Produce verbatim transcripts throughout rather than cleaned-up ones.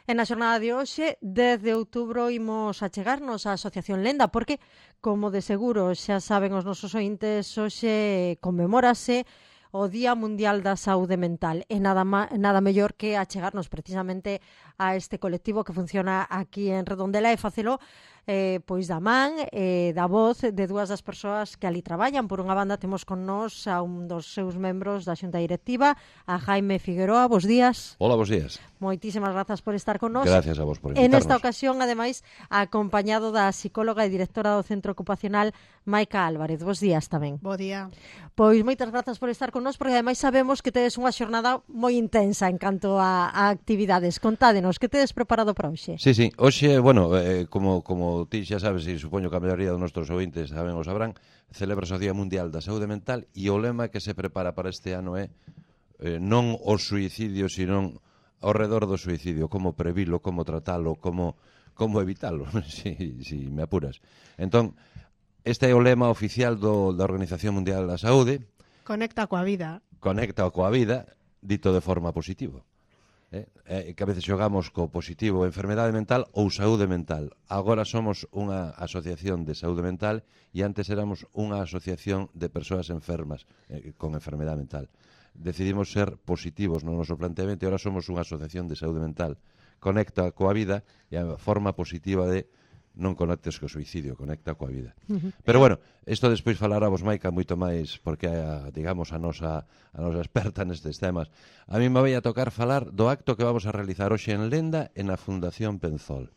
E na xornada de hoxe, dez de outubro, imos achegarnos á Asociación Lenda, porque, como de seguro xa saben os nosos ointes, hoxe conmemórase o Día Mundial da Saúde Mental. E nada, ma, nada mellor que achegarnos precisamente a este colectivo que funciona aquí en Redondela e facelo eh, pois da man e eh, da voz de dúas das persoas que ali traballan. Por unha banda temos con nós a un dos seus membros da Xunta Directiva, a Jaime Figueroa. Bos días. Hola, bos días. Moitísimas grazas por estar con nós. Gracias a vos por En invitarnos. esta ocasión, ademais, acompañado da psicóloga e directora do Centro Ocupacional, Maica Álvarez. Bos días tamén. Bo día. Pois moitas grazas por estar con nós, porque ademais sabemos que tedes unha xornada moi intensa en canto a, a actividades. Contádenos, que tedes preparado para hoxe? Sí, sí, hoxe, bueno, eh, como, como ti xa sabes, e supoño que a maioría dos nosos ouvintes saben ou sabrán, celebra o Día Mundial da Saúde Mental e o lema que se prepara para este ano é eh, non o suicidio, sino ao redor do suicidio, como previlo, como tratalo, como, como evitalo, si, si me apuras. Entón, este é o lema oficial do, da Organización Mundial da Saúde. Conecta coa vida. Conecta coa vida, dito de forma positiva. Eh, eh, que a veces xogamos co positivo enfermedade mental ou saúde mental. Agora somos unha asociación de saúde mental e antes éramos unha asociación de persoas enfermas eh, con enfermedade mental. Decidimos ser positivos no noso planteamento e agora somos unha asociación de saúde mental. Conecta coa vida e a forma positiva de non conectes co suicidio, conecta coa vida. Uh-huh. Pero bueno, isto despois falará vos, Maica, moito máis, porque é, a, digamos, a nosa, a nosa experta nestes temas. A mí me vai a tocar falar do acto que vamos a realizar hoxe en Lenda e na Fundación Penzol.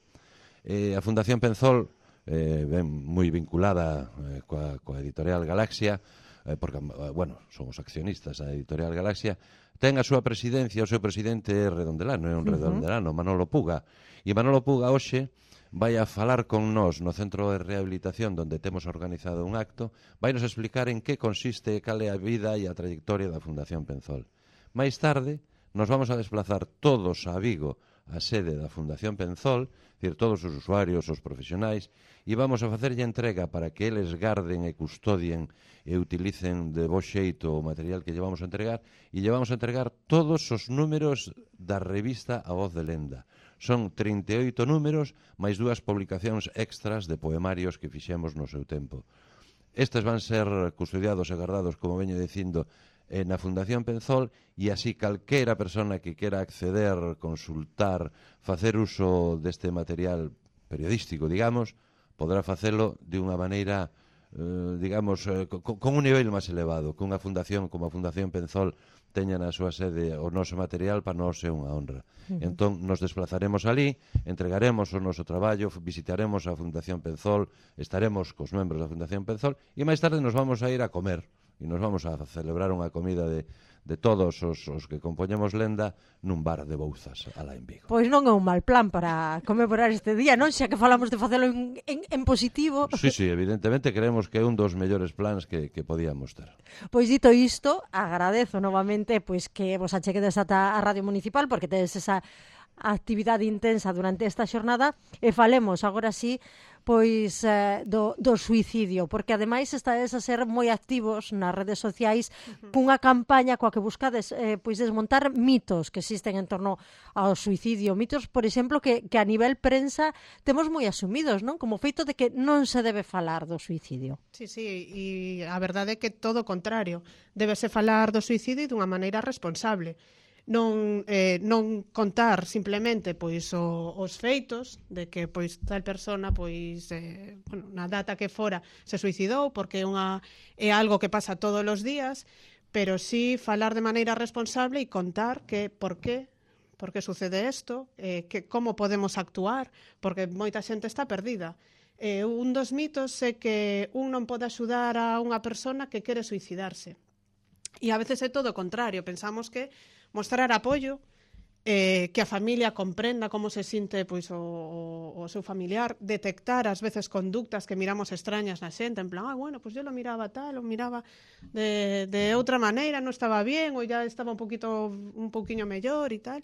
Eh, a Fundación Penzol, eh, ben moi vinculada eh, coa, coa editorial Galaxia, eh, porque, bueno, somos accionistas da editorial Galaxia, ten a súa presidencia, o seu presidente é redondelano, é un uh-huh. redondelano, Manolo Puga. E Manolo Puga hoxe vai a falar con nós no Centro de Rehabilitación onde temos organizado un acto, vai nos explicar en que consiste, cal é a vida e a trayectoria da Fundación Penzol. Mais tarde, nos vamos a desplazar todos a Vigo, a sede da Fundación Penzol, decir, todos os usuarios, os profesionais, e vamos a facerlle entrega para que eles garden e custodien e utilicen de bo xeito o material que llevamos a entregar, e llevamos a entregar todos os números da revista A Voz de Lenda. Son trinta e oito números, máis dúas publicacións extras de poemarios que fixemos no seu tempo. Estes van ser custodiados e guardados, como veño dicindo, na Fundación Penzol, e así calquera persona que quera acceder, consultar, facer uso deste material periodístico, digamos, podrá facelo de unha maneira, eh, digamos, eh, con, con un nivel máis elevado, que unha fundación como a Fundación Penzol teña na súa sede o noso material, para nós é unha honra. Uh-huh. Entón, nos desplazaremos ali, entregaremos o noso traballo, visitaremos a Fundación Penzol, estaremos cos membros da Fundación Penzol, e máis tarde nos vamos a ir a comer, e nos vamos a celebrar unha comida de, de todos os, os que compoñemos Lenda nun bar de Bouzas, alá en Vigo. Pois non é un mal plan para conmemorar este día, non? Xa que falamos de facelo en, en, en positivo. Sí, sí, evidentemente creemos que é un dos mellores plans que, que podíamos ter. Pois dito isto, agradezo novamente pois que vos acheguedes ata a Radio Municipal, porque tedes esa actividade intensa durante esta xornada, e falemos agora sí pois eh, do, do suicidio, porque ademais estades a ser moi activos nas redes sociais uh-huh. cunha campaña coa que buscades eh, pois desmontar mitos que existen en torno ao suicidio, mitos, por exemplo, que, que a nivel prensa temos moi asumidos, non? Como feito de que non se debe falar do suicidio. Sí, sí, e a verdade é que todo o contrario, debese falar do suicidio dunha maneira responsable. Non, eh, non contar simplemente pois o, os feitos de que pois tal persona pois eh, bueno, na data que fora se suicidou, porque é unha é algo que pasa todos os días, pero sí falar de maneira responsable e contar que por qué por qué sucede isto, eh, que como podemos actuar, porque moita xente está perdida. Eh, un dos mitos é que un non pode axudar a unha persona que quere suicidarse. E a veces é todo o contrario, pensamos que mostrar apoio, eh, que a familia comprenda como se sinte pois, o, o, o seu familiar, detectar ás veces conductas que miramos extrañas na xente, en plan, ah, bueno, pues yo lo miraba tal, o miraba de, de outra maneira, non estaba bien, ou ya estaba un poquito un pouquiño mellor e tal.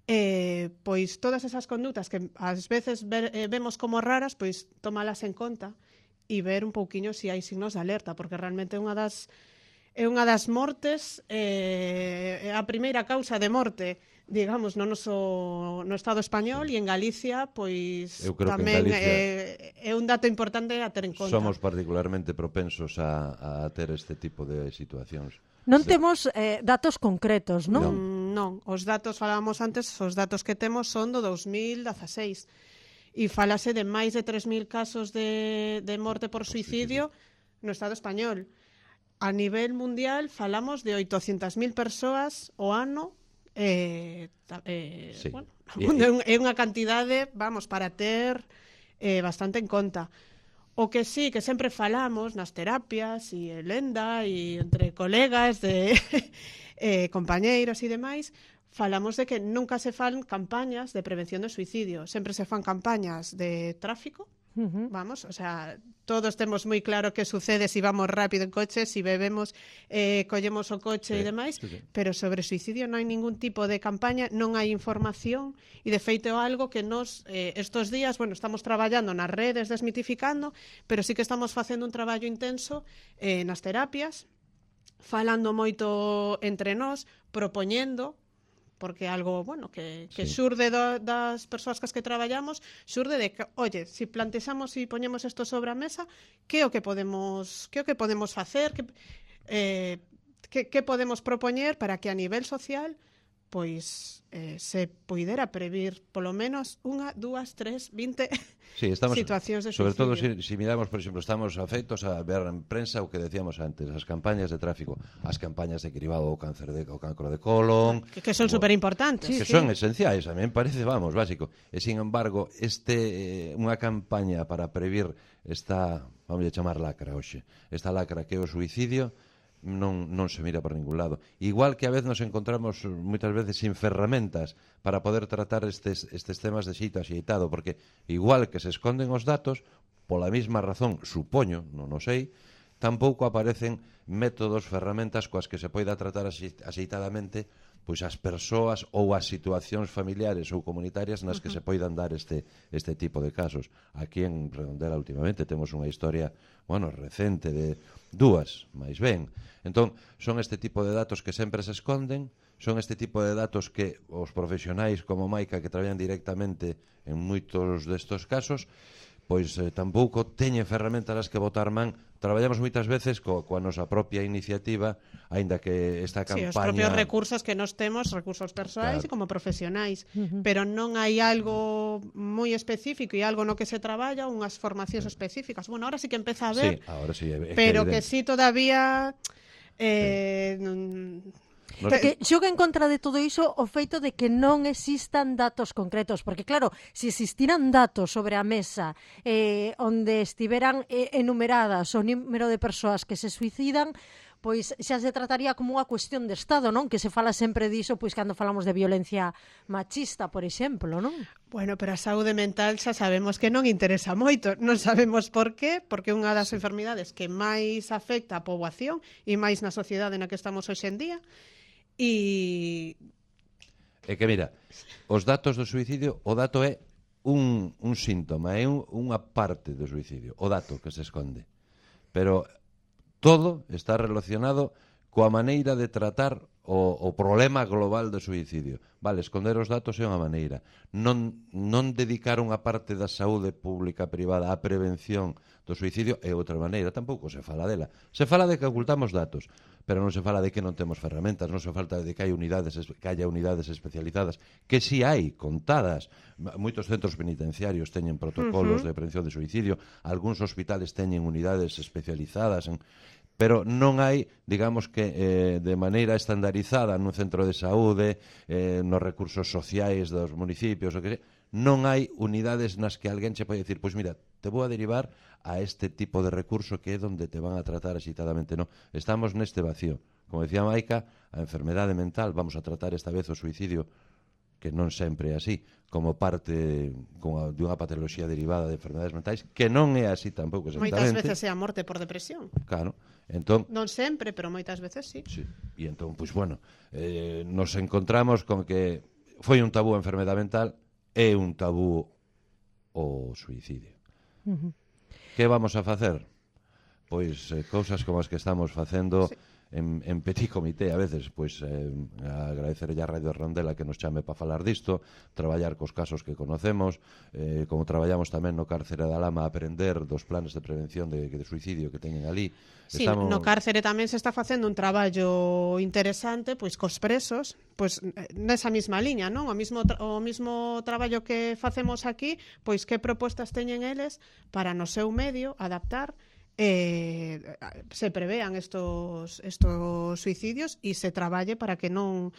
Eh, pois todas esas conductas que ás veces ver, eh, vemos como raras, pois tomalas en conta e ver un pouquiño se si hai signos de alerta, porque realmente unha das é unha das mortes, eh, a primeira causa de morte, digamos, no noso no Estado español, sí. E en Galicia, pois tamén é, é un dato importante a ter en conta. Somos particularmente propensos a, a ter este tipo de situacións. Non sí. temos eh, datos concretos, non? Non, non, os datos, falábamos antes, os datos que temos son do dos mil dezaseis. E falase de máis de tres mil casos de, de morte por suicidio no Estado español. A nivel mundial falamos de oitocentas mil persoas o ano. Eh, eh, sí. Bueno, é unha cantidade, vamos, para ter eh, bastante en conta. O que sí, que sempre falamos nas terapias e en lenda e entre colegas de eh, compañeiros e demais, falamos de que nunca se fan campañas de prevención do suicidio, sempre se fan campañas de tráfico. Uh-huh. Vamos, o sea, todos temos moi claro que sucede se si vamos rápido en coche, se si bebemos, eh, collemos o coche sí, e demais, sí, sí. Pero sobre suicidio non hai ningún tipo de campaña, non hai información, e de feito algo que nos, eh, estos días, bueno, estamos traballando nas redes desmitificando, pero sí que estamos facendo un traballo intenso eh, nas terapias, falando moito entre nós, propoñendo, porque algo, bueno, que, que sí. xurde do, das persoas cas que traballamos, xurde de que, oye, se si plantexamos e si poñemos isto sobre a mesa, que o que podemos, que o que podemos facer, que, eh, que, que podemos propoñer para que a nivel social pois eh, se poidera previr polo menos unha, dúas, tres, vinte sí, estamos, situacións de sobre suicidio. Sobre todo, se si, si miramos, por exemplo, estamos afeitos a ver en prensa o que decíamos antes, as campañas de tráfico, as campañas de cribado ao cáncer de, ao cancro de colon... Que, que son superimportantes. Que sí, son sí. esenciais, a mí me parece, vamos, básico. E, sin embargo, este eh, unha campaña para previr esta, vamos a chamar lacra hoxe, esta lacra que é o suicidio, non, non se mira por ningún lado. Igual que a vez nos encontramos moitas veces sin ferramentas para poder tratar estes, estes temas de xeito axeitado, porque igual que se esconden os datos, pola mesma razón, supoño, non o sei, tampouco aparecen métodos, ferramentas coas que se poida tratar axeitadamente pois as persoas ou as situacións familiares ou comunitarias nas que uh-huh. se poidan dar este, este tipo de casos. Aquí en Redondela últimamente temos unha historia, bueno, recente de dúas, máis ben. Entón, son este tipo de datos que sempre se esconden, son este tipo de datos que os profesionais como Maica que traballan directamente en moitos destos casos, pois eh, tampouco teñen ferramentas as que botar man. Traballamos moitas veces co, coa nosa propia iniciativa, aínda que esta campaña... Sí, os propios recursos que nos temos, recursos persoais claro. E como profesionais, uh-huh. Pero non hai algo moi específico e algo no que se traballa, unhas formacións sí. específicas. Bueno, ahora sí que empeza a ver, sí, ahora sí, é, é pero que, que sí todavía... Eh, sí. Porque xoga en contra de todo iso o feito de que non existan datos concretos, porque claro, se existiran datos sobre a mesa eh, onde estiveran eh, enumeradas o número de persoas que se suicidan, pois xa se trataría como unha cuestión de Estado, non? Que se fala sempre diso, pois cando falamos de violencia machista, por exemplo, non? Bueno, pero a saúde mental xa sabemos que non interesa moito, non sabemos por qué, porque é unha das enfermidades que máis afecta a poboación e máis na sociedade na que estamos hoxe en día. E... É que, mira, os datos do suicidio, o dato é un, un síntoma, é un, unha parte do suicidio, o dato que se esconde. Pero todo está relacionado coa maneira de tratar o, o problema global do suicidio. Vale, esconder os datos é unha maneira. Non, non dedicar unha parte da saúde pública privada á prevención do suicidio é outra maneira. Tampouco se fala dela. Se fala de que ocultamos datos, pero non se fala de que non temos ferramentas, non se falta de que hai unidades, que haya unidades especializadas, que si hai contadas. Moitos centros penitenciarios teñen protocolos uh-huh. de prevención de suicidio, algúns hospitales teñen unidades especializadas en... Pero non hai, digamos que, eh, de maneira estandarizada nun centro de saúde, eh, nos recursos sociais dos municipios, o que sei, non hai unidades nas que alguén che pode dicir, pois mira, te vou a derivar a este tipo de recurso que é donde te van a tratar axitadamente. Non, estamos neste vacío. Como decía Maica, a enfermedade mental, vamos a tratar esta vez o suicidio, que non sempre é así, como parte como de unha patoloxía derivada de enfermedades mentais, que non é así tampouco exactamente. Moitas veces é a morte por depresión. Claro. Entón, non sempre, pero moitas veces sí. Sí. E entón, pois pues, bueno, eh, nos encontramos con que foi un tabú a enfermedade mental e un tabú o suicidio. Uh-huh. Que vamos a facer? Pois eh, cousas como as que estamos facendo, sí. en, en petit comité a veces, pois eh, agradecerlle a Radio Rondela que nos chame para falar disto, traballar cos casos que conocemos, eh, como traballamos tamén no cárcere da Lama a aprender dos planes de prevención de, de suicidio que teñen ali. Sí, Estamos... no cárcere tamén se está facendo un traballo interesante pois cos presos, pois nesa mesma liña, non? O mismo tra o mismo traballo que facemos aquí, pois que propostas teñen eles para no seu medio adaptar eh, se prevean estos, estos suicidios e se traballe para que non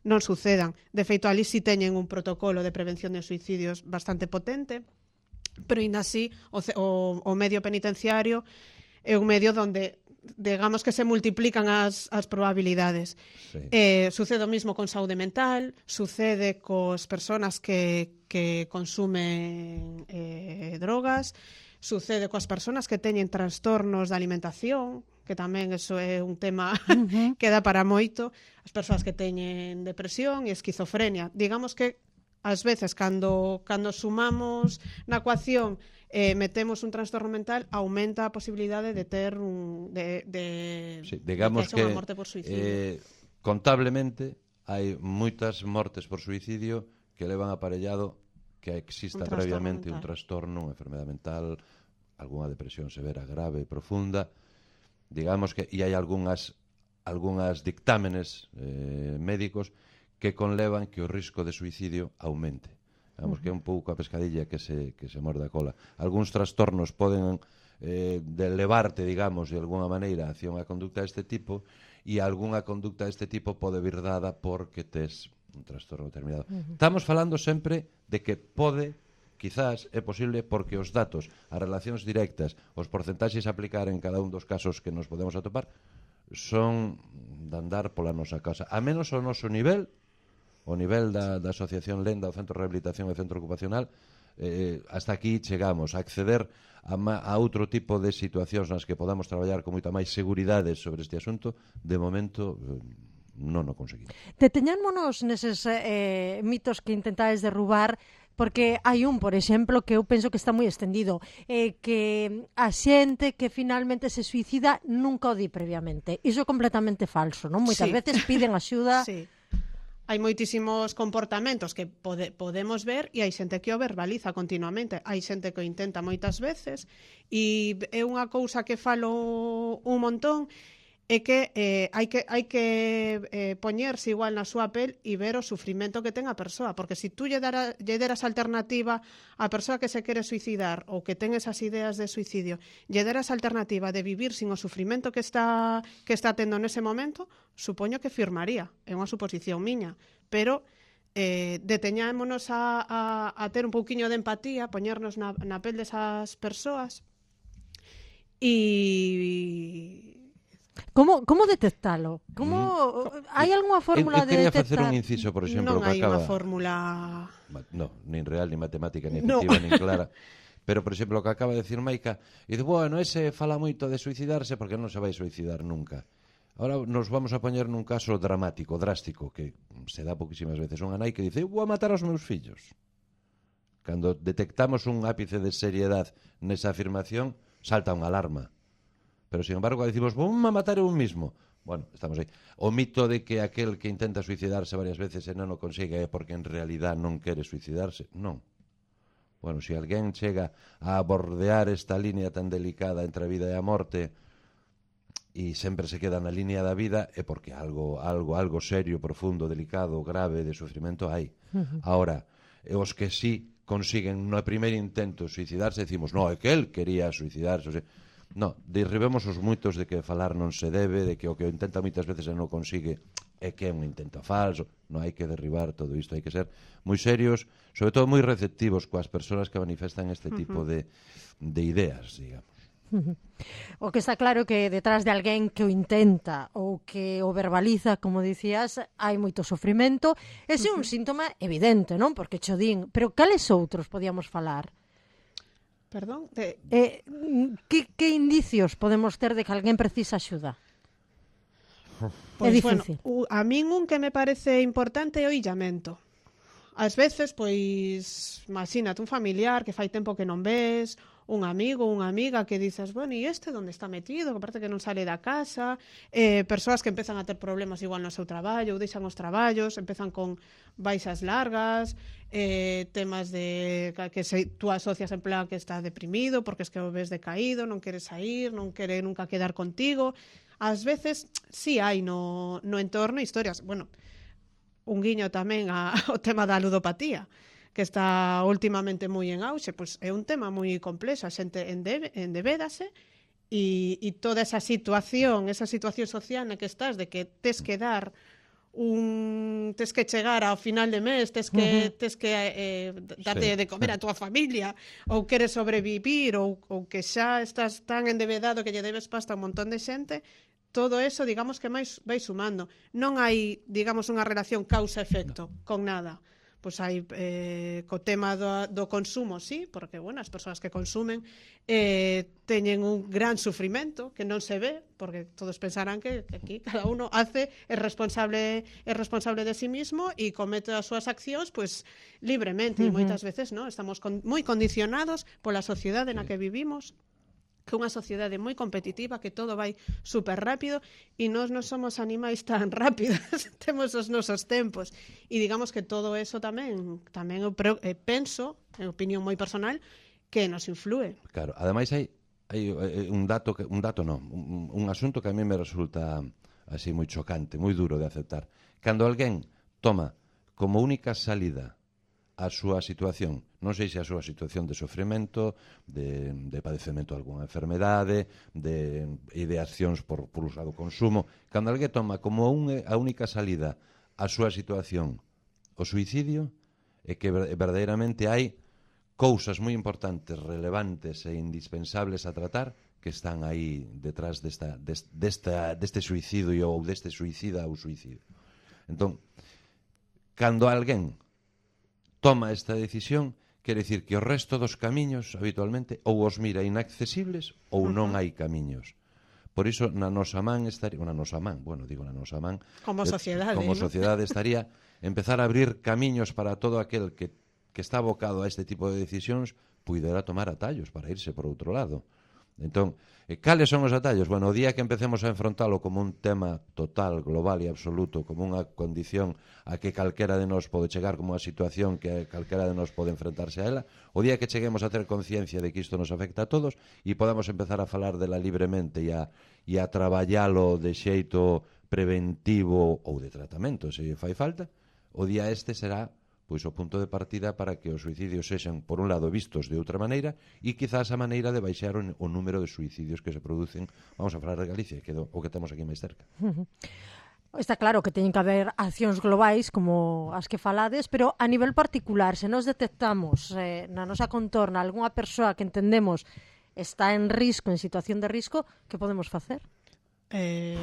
non sucedan. De feito, ali si teñen un protocolo de prevención de suicidios bastante potente, pero ainda así o, o, o medio penitenciario é un medio onde digamos que se multiplican as, as probabilidades. Sí. Eh, sucede o mismo con saúde mental, sucede cos persoas que, que consumen eh, drogas, sucede coas persoas que teñen trastornos de alimentación, que tamén eso é un tema uh-huh. que dá para moito, as persoas que teñen depresión e esquizofrenia. Digamos que ás veces cando, cando sumamos na ecuación eh, metemos un trastorno mental, aumenta a posibilidade de ter un de, de, sí, digamos de que, que unha morte por suicidio. Eh, contablemente hai moitas mortes por suicidio que levan aparellado que exista un previamente mental. un trastorno, unha enfermedade mental, algunha depresión severa, grave, profunda. Digamos que e hai algunhas algunhas dictámenes eh, médicos que conlevan que o risco de suicidio aumente. Digamos uh-huh. que é un pouco a pescadilla que se, que se morde a cola. Algúns trastornos poden eh, de levarte, digamos, de alguna maneira hacia unha conducta deste tipo e algunha conducta deste tipo pode vir dada porque tes un trastorno determinado. Uh-huh. Estamos falando sempre de que pode, quizás é posible porque os datos, as relacións directas, os porcentaxes a aplicar en cada un dos casos que nos podemos atopar son de andar pola nosa casa. A menos o noso nivel, o nivel da, da Asociación Lenda, o Centro de Rehabilitación e Centro Ocupacional, eh, hasta aquí chegamos a acceder a, ma, a outro tipo de situacións nas que podamos traballar con moita máis seguridade sobre este asunto. De momento eh, non o conseguimos. Deteñámonos neses eh, mitos que intentades derrubar, porque hai un, por exemplo, que eu penso que está moi extendido, eh, que a xente que finalmente se suicida nunca o di previamente. Iso é completamente falso, non? Moitas sí. veces piden axuda. Sí. Hai moitísimos comportamentos que pode, podemos ver e hai xente que o verbaliza continuamente. Hai xente que o intenta moitas veces e é unha cousa que falo un montón, é que eh, hai que, hai que eh, poñerse igual na súa pel e ver o sufrimento que ten a persoa, porque se si tú lle, dara, lle deras alternativa á persoa que se quere suicidar ou que ten esas ideas de suicidio, lle deras alternativa de vivir sin o sufrimento que está, que está tendo nese momento, supoño que firmaría, é unha suposición miña, pero eh, deteñámonos a, a, a ter un pouquiño de empatía, poñernos na, na pel desas persoas e... Como, como detectalo? Como mm. hai algunha fórmula eu, eu de detectar? quería facer un inciso, por exemplo, non hai que acaba... unha fórmula... No, nin real, nin matemática, nin no. efectiva, nin clara. Pero, por exemplo, o que acaba de decir Maica, e dice, bueno, ese fala moito de suicidarse porque non se vai suicidar nunca. Ahora nos vamos a poñer nun caso dramático, drástico, que se dá pouquísimas veces. Unha nai que dice, eu vou a matar aos meus fillos. Cando detectamos un ápice de seriedade nesa afirmación, salta unha alarma. Pero, sin embargo, decimos, vou a matar eu mismo. Bueno, estamos aí. O mito de que aquel que intenta suicidarse varias veces e non o consigue é porque en realidad non quere suicidarse. Non. Bueno, se alguén chega a bordear esta línea tan delicada entre a vida e a morte e sempre se queda na línea da vida é porque algo algo algo serio, profundo, delicado, grave de sufrimento hai. Uh-huh. Ahora, os que sí consiguen no primeiro intento suicidarse, decimos, no, é que el quería suicidarse, o sea, no, derribemos os mitos de que falar non se debe, de que o que intenta moitas veces e non consigue é que é un intento falso. Non hai que derribar todo isto, hai que ser moi serios, sobre todo moi receptivos coas persoas que manifestan este tipo uh-huh. de, de ideas, digamos. Uh-huh. O que está claro que detrás de alguén que o intenta ou que o verbaliza, como dicías, hai moito sofrimento. Ese é uh-huh. un síntoma evidente, non? Porque cho din, pero cales outros podíamos falar? Perdón? De... Eh, que, que indicios podemos ter de que alguén precisa axuda? Pois, é difícil. Bueno, a min un que me parece importante é o illamento. Ás veces, pois, imagínate un familiar que fai tempo que non ves, un amigo, unha amiga que dices, bueno, e este onde está metido, que parece que non sale da casa, eh, persoas que empezan a ter problemas igual no seu traballo, ou deixan os traballos, empezan con baixas largas, eh, temas de que se, tú asocias en plan que está deprimido porque es que o ves decaído, non quere sair, non quere nunca quedar contigo. Ás veces, sí hai no, no entorno historias, bueno, un guiño tamén a, ao tema da ludopatía, que está últimamente moi en auxe, pois é un tema moi complexo, a xente endebe, endevédase e, e toda esa situación, esa situación social na que estás, de que tes que dar un tes que chegar ao final de mes, tes que uh-huh. tes que eh, darte sí. de comer a tua familia, ou queres sobrevivir, ou, ou que xa estás tan endevedado que lle debes pasta a un montón de xente, todo eso, digamos que máis vai sumando. Non hai, digamos, unha relación causa-efecto con nada. Pois hai eh, co tema do, do consumo, sí, porque, bueno, as persoas que consumen eh, teñen un gran sufrimento que non se ve, porque todos pensarán que, que aquí cada uno hace, é responsable é responsable de sí mismo e comete as súas accións, pois, libremente, uh-huh. e moitas veces, no, estamos con, moi condicionados pola sociedade na que vivimos, que é unha sociedade moi competitiva, que todo vai super rápido e nós non somos animais tan rápidos, temos os nosos tempos e digamos que todo eso tamén tamén eu eh, penso, en opinión moi personal, que nos influe. Claro, ademais hai, hai un dato, que, un dato non, un, un asunto que a mí me resulta así moi chocante, moi duro de aceptar. Cando alguén toma como única salida a súa situación, non sei se a súa situación de sofrimento, de, de padecemento de algunha enfermedade, de ideacións por, por usado consumo, cando alguén toma como un, a única salida a súa situación o suicidio, é que verdadeiramente hai cousas moi importantes, relevantes e indispensables a tratar que están aí detrás desta, desta, deste suicidio ou deste suicida ou suicidio. Entón, cando alguén toma esta decisión, quere dicir que o resto dos camiños, habitualmente, ou os mira inaccesibles ou non hai camiños. Por iso, na nosa man estaría, na nosa man, bueno, digo na nosa man, como sociedade, como ¿no? sociedade estaría empezar a abrir camiños para todo aquel que, que está abocado a este tipo de decisións, puidera tomar atallos para irse por outro lado. Entón, cales son os atallos? Bueno, o día que empecemos a enfrontalo como un tema total, global e absoluto, como unha condición a que calquera de nós pode chegar, como unha situación que calquera de nós pode enfrentarse a ela, o día que cheguemos a ter conciencia de que isto nos afecta a todos e podamos empezar a falar dela libremente e a, e a traballalo de xeito preventivo ou de tratamento, se fai falta, o día este será pois o punto de partida para que os suicidios sexan, por un lado, vistos de outra maneira e quizás a maneira de baixar o, o número de suicidios que se producen, vamos a falar de Galicia, que é o que temos aquí máis cerca. Uh-huh. Está claro que teñen que haber accións globais como as que falades, pero a nivel particular, se nos detectamos eh, na nosa contorna algunha persoa que entendemos está en risco, en situación de risco, que podemos facer? Eh...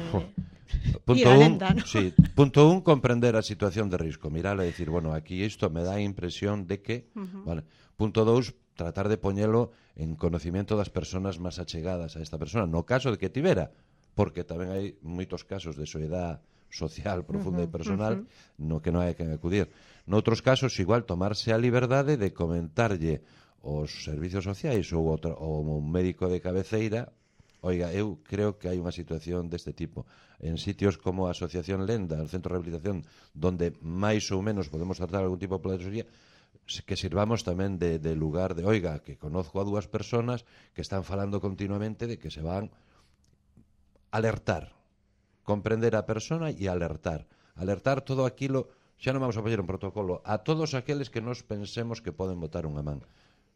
Punto un, ¿no? Sí, punto un, comprender a situación de risco, mirala e dicir, bueno, aquí isto me dá a impresión de que, uh-huh. Vale. Punto dous, tratar de poñelo en conocimiento das persoas máis achegadas a esta persona, no caso de que tivera, porque tamén hai moitos casos de soedad social profunda uh-huh, e personal uh-huh. no que non hai que acudir. Noutros casos, igual, tomarse a liberdade de comentarlle aos servicios sociais ou, outro, ou un médico de cabeceira: oiga, eu creo que hai unha situación deste tipo. En sitios como a Asociación Lenda, el Centro de Rehabilitación, donde máis ou menos podemos tratar algún tipo de patoloxía, que sirvamos tamén de, de lugar de, oiga, que conozco a dúas personas que están falando continuamente de que se van alertar, comprender a persona e alertar. Alertar todo aquilo, xa non vamos a poñer un protocolo, a todos aqueles que nos pensemos que poden botar unha man.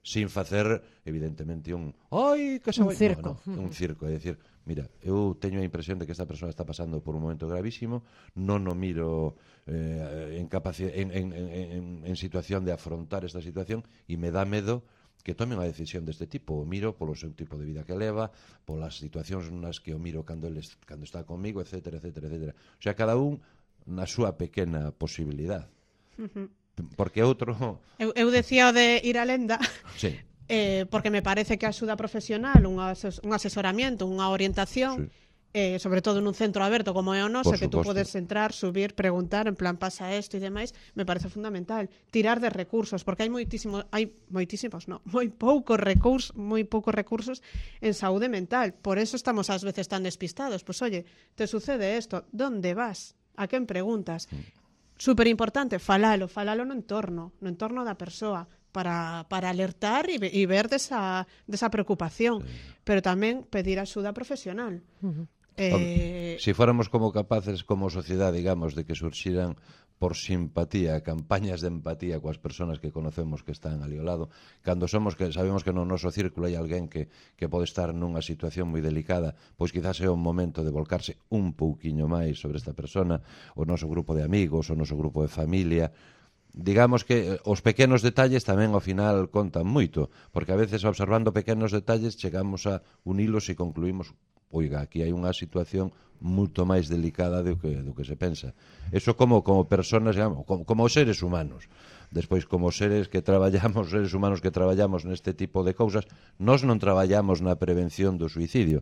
Sin facer, evidentemente, un ai, que se un vai... circo. No, no, un circo, é dicir, mira, eu teño a impresión de que esta persona está pasando por un momento gravísimo, non o miro eh, en, capaci... en, en, en, en situación de afrontar esta situación e me dá medo que tome unha decisión deste tipo. O miro polo seu tipo de vida que leva, polas situacións nas que o miro cando, ele, cando está comigo, etcétera, etcétera, etcétera. O sea, cada un na súa pequena posibilidad. Uh-huh. Porque outro... Eu, eu decía o de ir a Lenda, sí. eh, porque me parece que a axuda profesional, un, ases, un asesoramiento, unha orientación, sí. eh, sobre todo nun centro aberto como é o noso, Por que tú suposto. podes entrar, subir, preguntar, en plan pasa isto e demais, me parece fundamental. Tirar de recursos, porque hai moitísimos, hai moitísimos, non, moi poucos recursos, moi poucos recursos en saúde mental. Por eso estamos ás veces tan despistados. Pois, pues, oye, te sucede isto, ¿dónde vas? A quen preguntas? Super importante, falalo, falalo no entorno, no entorno da persoa, para, para alertar e, e ver desa, desa preocupación, pero tamén pedir axuda profesional. Uh-huh. Eh... Si fóramos como capaces como sociedade, digamos, de que surxiran por simpatía, campañas de empatía coas persoas que conocemos que están ali ao lado, cando somos que sabemos que no noso círculo hai alguén que, que pode estar nunha situación moi delicada, pois quizás é o momento de volcarse un pouquiño máis sobre esta persona, o noso grupo de amigos, o noso grupo de familia. Digamos que os pequenos detalles tamén ao final contan moito, porque a veces observando pequenos detalles chegamos a unilos e concluímos, oiga, aquí hai unha situación moito máis delicada do que, do que se pensa. Eso como, como personas, digamos, como, como seres humanos. Despois, como seres que traballamos, seres humanos que traballamos neste tipo de cousas, nós non traballamos na prevención do suicidio,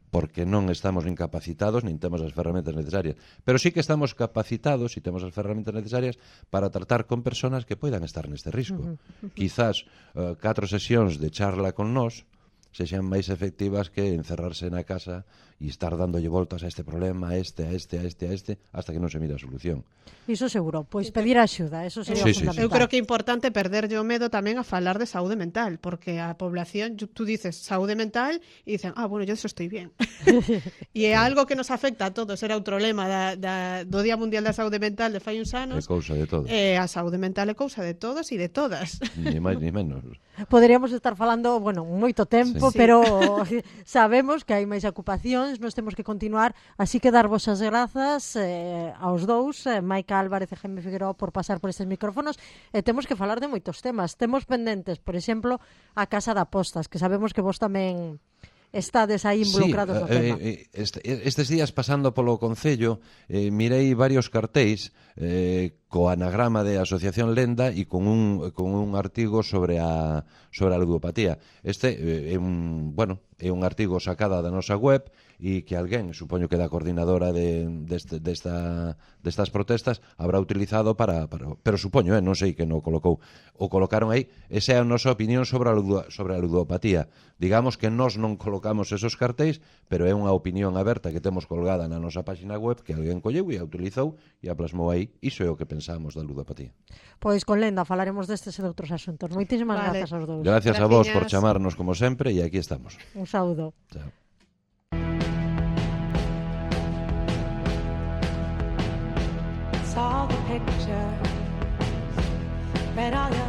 porque non estamos nin capacitados, nin temos as ferramentas necesarias. Pero sí que estamos capacitados e temos as ferramentas necesarias para tratar con persoas que poidan estar neste risco. Uh -huh. Quizás uh, catro sesións de charla con nós sexan máis efectivas que encerrarse na casa e estar dándolle voltas a este problema, a este, a este, a este, a este, hasta que non se mira a solución. Iso seguro, pois pedir axuda, eso sería sí, fundamental. Sí, sí. Eu creo que é importante perderlle o medo tamén a falar de saúde mental, porque a población, tú dices saúde mental e dicen, ah, bueno, yo eso estoy bien. E é algo que nos afecta a todos, era outro lema da, da, do Día Mundial da Saúde Mental de fai uns anos. É cousa de todos. Eh, a saúde mental é cousa de todos e de todas. Ni máis ni menos. Poderíamos estar falando, bueno, moito tempo, Sí. pero sabemos que hai máis ocupacións, nos temos que continuar, así que darvos as grazas eh, aos dous, eh, Maica Álvarez e Jaime Figueroa, por pasar por estes micrófonos, e temos que falar de moitos temas. Temos pendentes, por exemplo, a Casa de Apostas, que sabemos que vos tamén estades aí involucrados sí, no tema. Eh, este, estes días pasando polo Concello eh, mirei varios cartéis eh, co anagrama de Asociación Lenda e con un, con un artigo sobre a, sobre a ludopatía. Este eh, é un, bueno, é un artigo sacada da nosa web e que alguén, supoño que da coordinadora de, deste, desta, destas protestas, habrá utilizado para, para... Pero supoño, eh, non sei que non colocou. O colocaron aí. Esa é a nosa opinión sobre a, ludo, sobre a ludopatía. Digamos que nós non colocamos esos cartéis, pero é unha opinión aberta que temos colgada na nosa página web que alguén colleu e a utilizou e a plasmou aí. Iso é o que pensamos da ludopatía. Pois con Lenda falaremos destes e de outros asuntos. Moitísimas Vale. grazas aos dous. Gracias a vos por Graciñas. chamarnos como sempre e aquí estamos. Un saúdo. Chao. Saw the picture, read all your